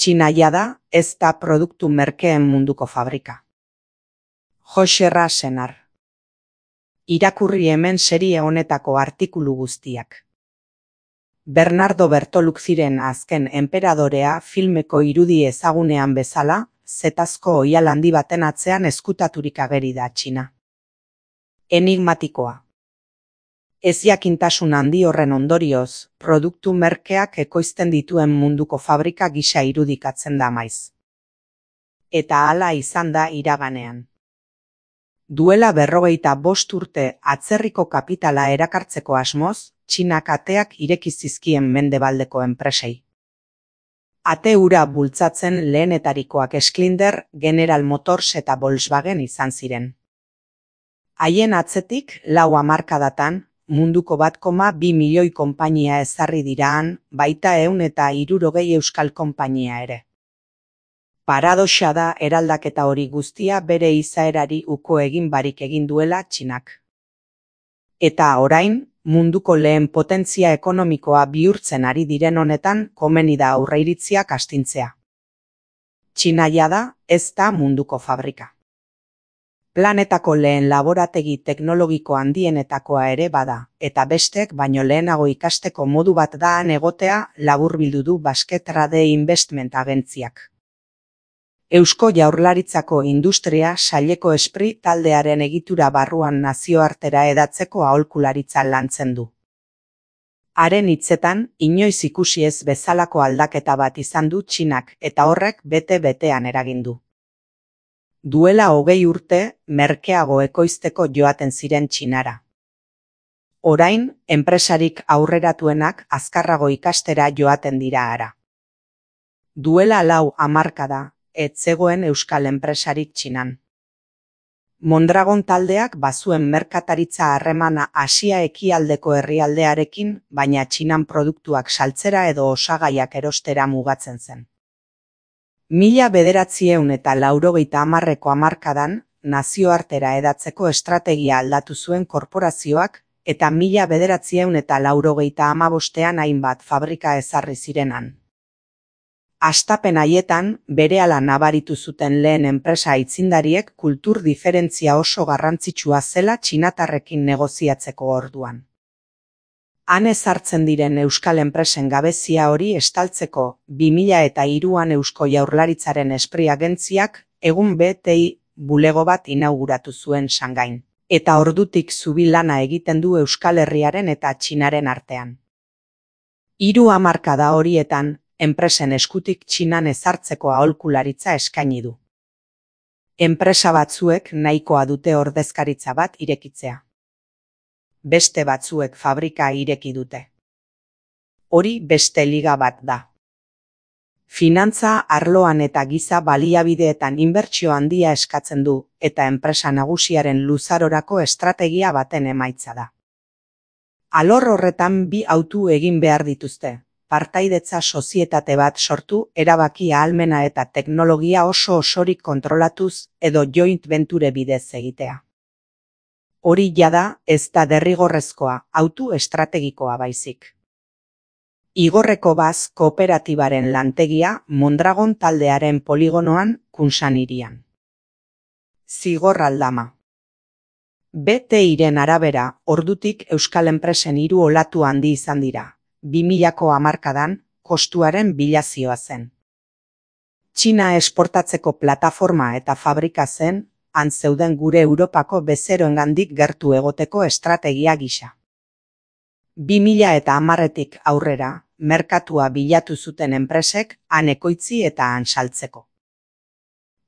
Txina jada ez da produktu merkeen munduko fabrika. Joxerra Senar. Irakurri hemen serie honetako artikulu guztiak. Bernardo Bertoluzziren Azken enperadorea filmeko irudi ezagunean bezala, zetazko oihal handi baten atzean ezkutaturik ageri da Txina. Enigmatikoa. Ezjakintasun handi horren ondorioz, produktu merkeak ekoizten dituen munduko fabrika gisa irudikatzen da maiz. Eta hala izan da iraganean. Duela 45 urte atzerriko kapitala erakartzeko asmoz, Txinak ateak ireki zizkien mendebaldeko enpresei. Ate hura bultzatzen lehenetarikoak Schindler, General Motors eta Volkswagen izan ziren. Haien atzetik, 4 hamarkadatan, munduko 1,2 milioi konpainia ezarri diraan, baita 160 euskal konpainia ere. Paradoxa da eraldaketa hori guztia bere izaerari uko egin barik egin duela Txinak. Eta orain, munduko lehen potentzia ekonomikoa bihurtzen ari diren honetan komeni da aurreiritziak astintzea. Txina jada ez da munduko fabrika. Planetako lehen laborategi teknologiko handienetakoa ere bada, eta bestek baino lehenago ikasteko modu bat da han egotea laburbildu du Basque Trade Investment agentziak. Eusko Jaurlaritzako Industria Saileko Espri taldearen egitura barruan nazioartera hedatzeko aholkularitza lantzen du. Haren hitzetan, inoiz ikusi ez bezalako aldaketa bat izan du Txinak eta horrek bete-betean eragin du. Duela 20 urte, merkeago ekoizteko joaten ziren Txinara. Orain, enpresarik aurreratuenak azkarrago ikastera joaten dira hara. Duela 4 hamarkada, ez zegoen euskal enpresarik Txinan. Mondragon taldeak bazuen merkataritza harremana Asia ekialdeko herrialdearekin, baina Txinan produktuak saltzera edo osagaiak erostera mugatzen zen. 1990ko hamarkadan, nazioartera hedatzeko estrategia aldatu zuen korporazioak, eta 1995ean hainbat fabrika ezarri zirenan. Hastapen haietan, berehala nabaritu zuten lehen enpresa aitzindariek kultur diferentzia oso garrantzitsua zela txinatarrekin negoziatzeko orduan. Han ezartzen diren euskal enpresen gabezia hori estaltzeko 2003an Eusko Jaurlaritzaren Espri agentziak egun BTI bulego bat inauguratu zuen Shangain, eta ordutik zubi lana egiten du Euskal Herriaren eta Txinaren artean. 3 hamarkada horietan, enpresen eskutik Txinan ezartzeko aholkularitza eskaini du. Enpresa batzuek nahikoa dute ordezkaritza bat irekitzea. Beste batzuek fabrika ireki dute. Hori beste liga bat da. Finantza arloan eta giza baliabideetan inbertsio handia eskatzen du, eta enpresa nagusiaren luzarorako estrategia baten emaitza da. Alor horretan 2 hautu egin behar dituzte. Partaidetza sozietate bat sortu, erabaki ahalmena eta teknologia oso osorik kontrolatuz edo joint venture bidez egitea. Hori jada ez da derrigorrezkoa, hautu estrategikoa baizik. Igorreko Baz kooperatibaren lantegia Mondragon taldearen poligonoan Kunsan hirian. Zigor aldama. BTIren arabera, ordutik euskal enpresen 3 olatu handi izan dira. 2000ko hamarkadan, kostuaren bilazioa zen. Txina esportatzeko plataforma eta fabrika zen, han zeuden gure Europako bezeroengandik gertu egoteko estrategia gisa. 2010etik aurrera, merkatua bilatu zuten enpresek han ekoitzi eta han saltzeko.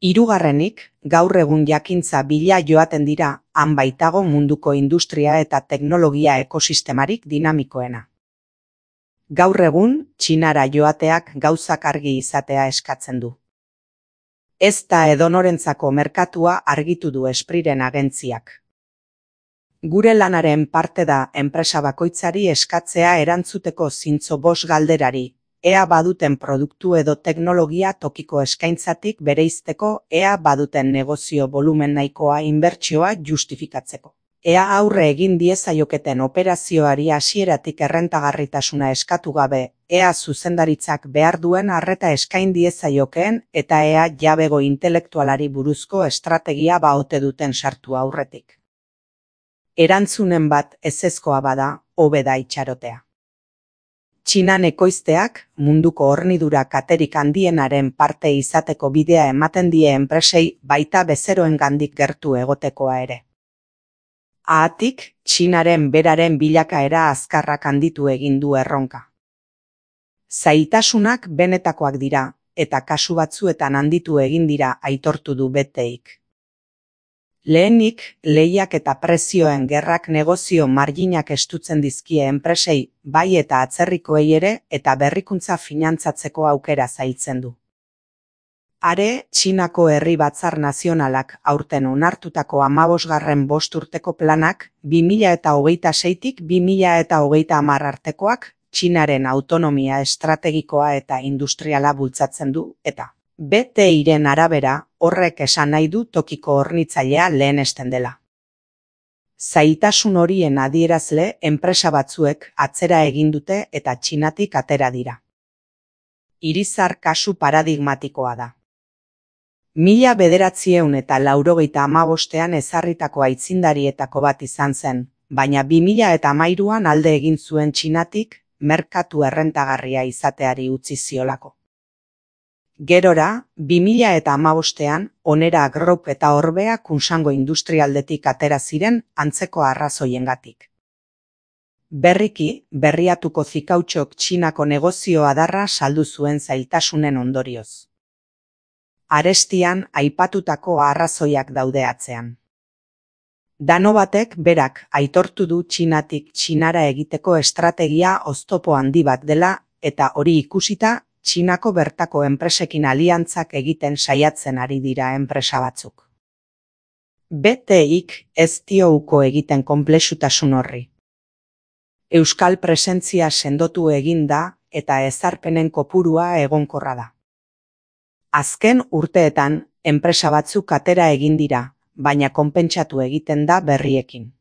3. Gaur egun jakintza bila joaten dira, han baitago munduko industria eta teknologia ekosistemarik dinamikoena. Gaur egun, Txinara joateak gauzak argi izatea eskatzen du. Ez da edonorentzako merkatua argitu du Espriren agentziak. Gure lanaren parte da enpresa bakoitzari eskatzea erantzuteko zintzo 5 galderari, ea baduten produktu edo teknologia tokiko eskaintzatik bereizteko, ea baduten negozio volumen nahikoa inbertsioa justifikatzeko. Ea aurre egin diezaioketen operazioari hasieratik errentagarritasuna eskatu gabe, ea zuzendaritzak behar duen arreta eskain diezaiokeen eta ea jabego intelektualari buruzko estrategia ote duten sartu aurretik. Erantzunen bat ezezkoa bada, hobe da itxarotea. Txinan ekoizteak munduko hornidura katerik handienaren parte izateko bidea ematen die enpresei baita bezeroengandik gertu egotekoa ere. Haatik, Txinaren beraren bilakaera azkarrak handitu egin du erronka. Zailtasunak benetakoak dira, eta kasu batzuetan handitu egin dira aitortu du BTIk. Lehenik, lehiak eta prezioen gerrak negozio marginak estutzen dizkie enpresei, bai eta atzerrikoei ere, eta berrikuntza finantzatzeko aukera zailtzen du. Are, Txinako Herri Batzar Nazionalak aurten onartutako 15. bosturteko planak 2026tik 2030 artekoak Txinaren autonomia estrategikoa eta industriala bultzatzen du, eta BTIren arabera horrek esan nahi du tokiko hornitzailea lehenesten dela. Zailtasun horien adierazle enpresa batzuek atzera egin dute eta Txinatik atera dira. Irizar kasu paradigmatikoa da. 1985ean ezarritako aitzindarietako bat izan zen, baina 2013an alde egin zuen Txinatik merkatu errentagarria izateari utzi ziolako. Gerora, 2015ean Onera Group eta Orbea Kunsango industrialdetik atera ziren antzeko arrazoiengatik. Berriki, berriatuko zikautxok Txinako negozio adarra saldu zuen zailtasunen ondorioz. Arestian aipatutako arrazoiak daude atzean. Dano batek berak aitortu du Txinatik Txinara egiteko estrategia oztopo handi bat dela eta hori ikusita Txinako bertako enpresekin aliantzak egiten saiatzen ari dira enpresa batzuk. BTIk ez dio uko egiten konplexutasun horri. Euskal presentzia sendotu egin da eta ezarpenen kopurua egonkorra da. Azken urteetan, enpresa batzuk atera egin dira, baina konpentsatu egiten da berriekin.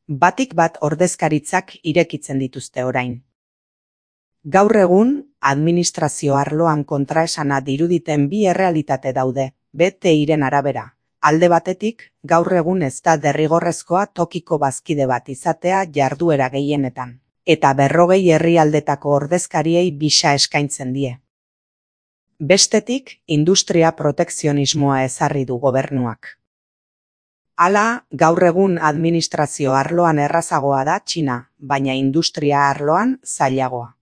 Batik bat ordezkaritzak irekitzen dituzte orain. Gaur egun, administrazio arloan kontraesana diruditen bi errealitate daude, BTIren arabera. Alde batetik, gaur egun ez da derrigorrezkoa tokiko bazkide bat izatea jarduera gehienetan, eta 40 herrialdetako ordezkariei bisa eskaintzen die. Bestetik, industria protekzionismoa ezarri du gobernuak. Hala, gaur egun administrazio arloan errazagoa da Txina, baina industria arloan zailagoa.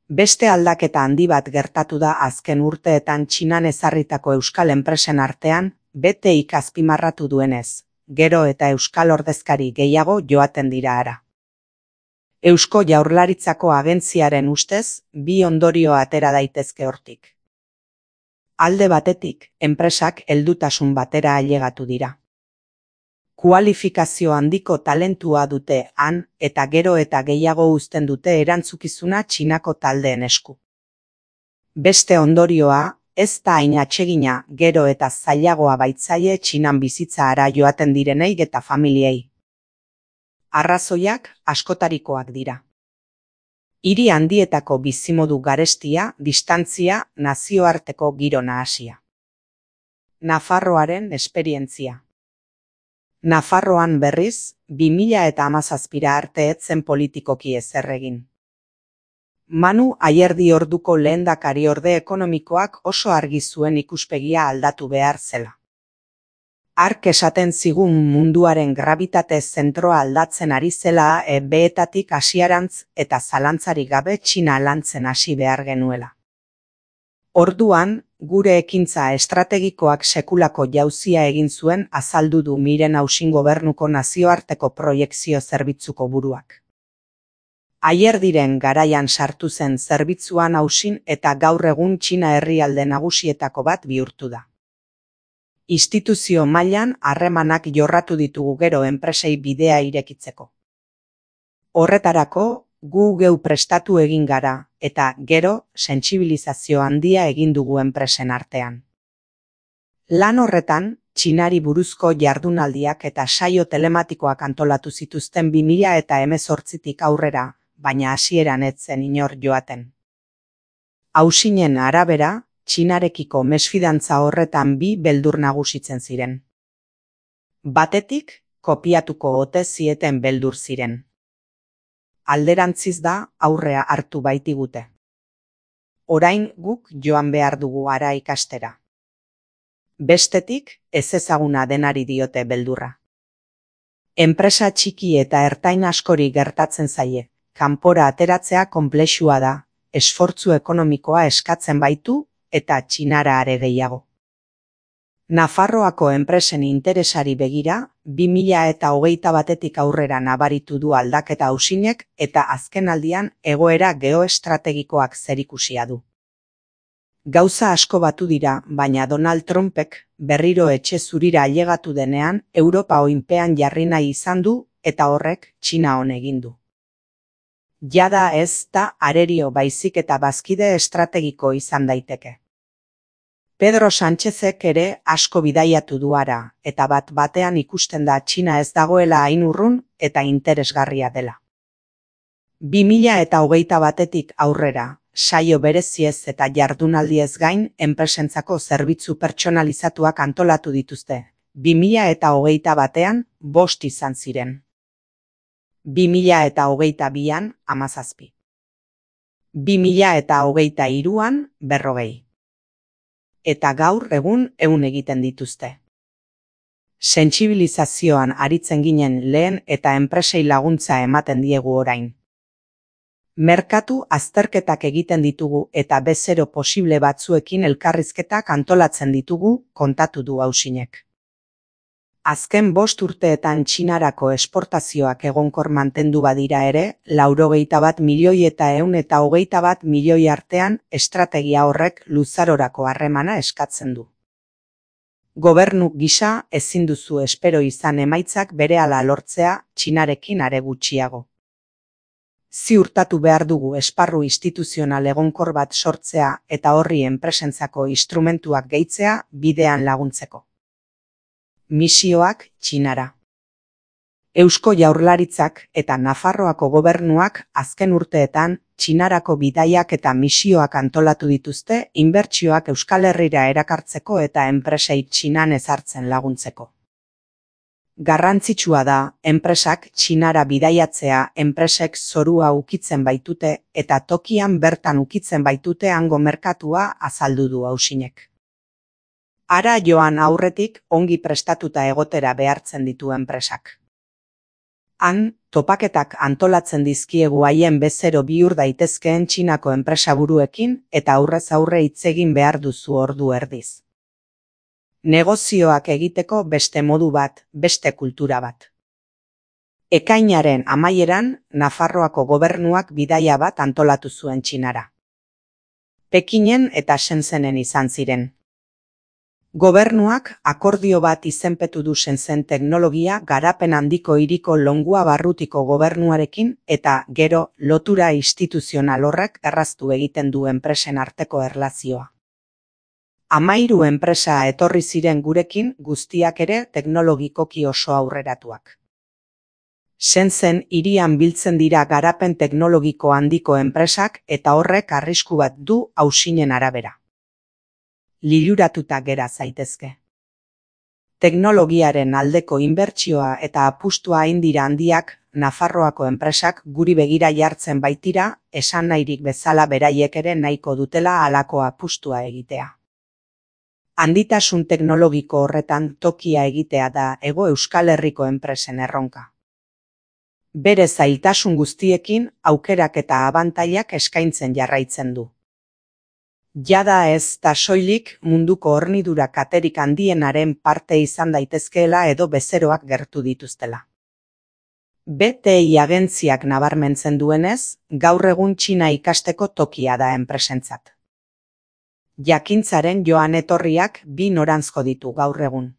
Beste aldaketa handi bat gertatu da azken urteetan Txinan ezarritako euskal enpresen artean, BTIk azpimarratu duenez, gero eta euskal ordezkari gehiago joaten dira hara. Eusko Jaurlaritzako agentziaren ustez, bi ondorio atera daitezke hortik. Alde batetik, enpresak heldutasun batera ailegatu dira. Kualifikazio handiko talentua dute han eta gero eta gehiago uzten dute erantzukizuna Txinako taldeen esku. Beste ondorioa, ez da hain atsegina gero eta zailagoa baitzaie Txinan bizitza hara joaten direnei eta familiei. Arrazoiak askotarikoak dira. Hiri handietako bizimodu garestia, distantzia, nazioarteko giro nahasia. Nafarroaren esperientzia. Nafarroan berriz, 2017 arte ez zen politikoki ezer egin. Manu Ayerdi orduko lehendakariorde ekonomikoak oso argi zuen ikuspegia aldatu behar zela. Hark esaten zigun munduaren grabitate zentroa aldatzen ari zela beetatik hasiarantz eta zalantzarik gabe Txina lantzen hasi behar genuela. Orduan, gure ekintza estrategikoak sekulako jauzia egin zuen azaldu du Miren Ausin gobernuko nazioarteko proiekzio zerbitzuko buruak. Ayerdiren garaian sartu zen zerbitzuan Ausin eta gaur egun Txina herrialde nagusietako bat bihurtu da. Instituzio mailan harremanak jorratu ditugu gero enpresei bidea irekitzeko. Horretarako, gu geu prestatu egin gara, eta gero sentsibilizazio handia egin dugu enpresen artean. Lan horretan, Txinari buruzko jardunaldiak eta saio telematikoak antolatu zituzten 2018tik aurrera, baina hasieran ez zen inor joaten. Hausinen arabera, Txinarekiko mesfidantza horretan bi beldur nagusitzen ziren. Batetik, kopiatuko ote zieten beldur ziren. Alderantziz da aurrea hartu baitigute. Orain guk joan behar dugu hara ikastera. Bestetik, ezezaguna denari diote beldurra. Enpresa txiki eta ertain askori gertatzen zaie, kanpora ateratzea konplexua da, esfortzu ekonomikoa eskatzen baitu eta Txinara are gehiago. Nafarroako enpresen interesari begira, 2021tik aurrera nabaritu du aldaketa Hausinek eta azkenaldian egoera geoestrategikoak zerikusia du. Gauza asko batu dira, baina Donald Trumpek berriro etxe zurira ailegatu denean Europa oinpean jarri nahi izan du eta horrek Txina on egin du. Jada ez da arerio baizik eta bazkide estrategiko izan daiteke. Pedro Sánchezek ere asko bidaiatu du hara, eta bat-batean ikusten da Txina ez dagoela hain urrun eta interesgarria dela. 2021tik aurrera, saio bereziez eta jardunaldiez gain enpresentzako zerbitzu pertsonalizatuak antolatu dituzte. 2021an 5 izan ziren. 2022an 17. 2023an 40. Eta gaur egun 100 egiten dituzte. Sentsibilizazioan aritzen ginen lehen eta enpresei laguntza ematen diegu orain. Merkatu azterketak egiten ditugu eta bezero posible batzuekin elkarrizketak antolatzen ditugu, kontatu du Hausinek. Azken 5 urteetan Txinarako esportazioak egonkor mantendu badira ere, 91 milioi eta 121 milioi artean estrategia horrek luzarorako harremana eskatzen du. Gobernu gisa ezin duzu espero izan emaitzak berehala lortzea Txinarekin are gutxiago. Ziurtatu behar dugu esparru instituzional egonkor bat sortzea eta horri enpresentzako instrumentuak gehitzea bidean laguntzeko. Misioak Txinara. Eusko Jaurlaritzak eta Nafarroako gobernuak azken urteetan Txinarako bidaiak eta misioak antolatu dituzte inbertsioak Euskal Herrira erakartzeko eta enpresei Txinan ezartzen laguntzeko. Garrantzitsua da, enpresak Txinara bidaiatzea enpresek zorua ukitzen baitute eta tokian bertan ukitzen baitute hango merkatua azaldu du Hausinek. Hara joan aurretik ongi prestatuta egotera behartzen ditu enpresak. Han, topaketak antolatzen dizkiegu haien bezero bihur daitezkeen Txinako enpresaburuekin eta aurrez aurre hitz egin behar duzu ordu erdiz. Negozioak egiteko beste modu bat, beste kultura bat. Ekainaren amaieran, Nafarroako gobernuak bidaia bat antolatu zuen Txinara. Pekinen eta Shenzhenen izan ziren. Gobernuak akordio bat izenpetu du Shenzhen teknologia garapen handiko hiriko Longua barrutiko gobernuarekin eta gero lotura instituzional horrek erraztu egiten du enpresen arteko erlazioa. 13 enpresa etorri ziren gurekin guztiak ere teknologikoki oso aurreratuak. Shenzhen hirian biltzen dira garapen teknologiko handiko enpresak eta horrek arrisku bat du Hausinen arabera. Liluratuta gera zaitezke. Teknologiaren aldeko inbertsioa eta apustua hain dira handiak, Nafarroako enpresak guri begira jartzen baitira, esan nahirik bezala beraiek ere nahiko dutela halako apustua egitea. Handitasun teknologiko horretan tokia egitea da Hego Euskal Herriko enpresen erronka. Bere zailtasun guztiekin aukerak eta abantailak eskaintzen jarraitzen du. Jada ez da soilik munduko hornidura katerik handienaren parte izan daitezkeela edo bezeroak gertu dituztela. BTI agentziak nabarmentzen duenez, gaur egun Txina ikasteko tokia da enpresentzat. Jakintzaren joan etorriak bi noranzko ditu gaur egun.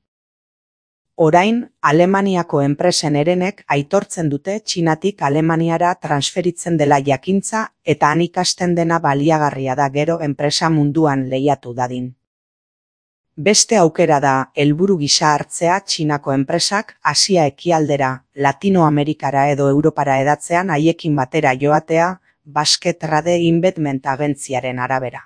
Orain, Alemaniako enpresen herenek aitortzen dute Txinatik Alemaniara transferitzen dela jakintza eta han ikasten dena baliagarria da gero enpresa munduan lehiatu dadin. Beste aukera da helburu gisa hartzea Txinako enpresak Asia ekialdera, Latinoamerikara edo Europara hedatzean haiekin batera joatea, Basque Trade Investment agentziaren arabera.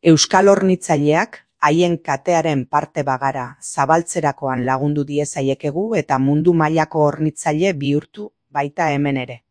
Euskal hornitzaileak haien katearen parte bagara zabaltzerakoan lagundu diezaiekegu eta mundu mailako hornitzaile bihurtu baita hemen ere.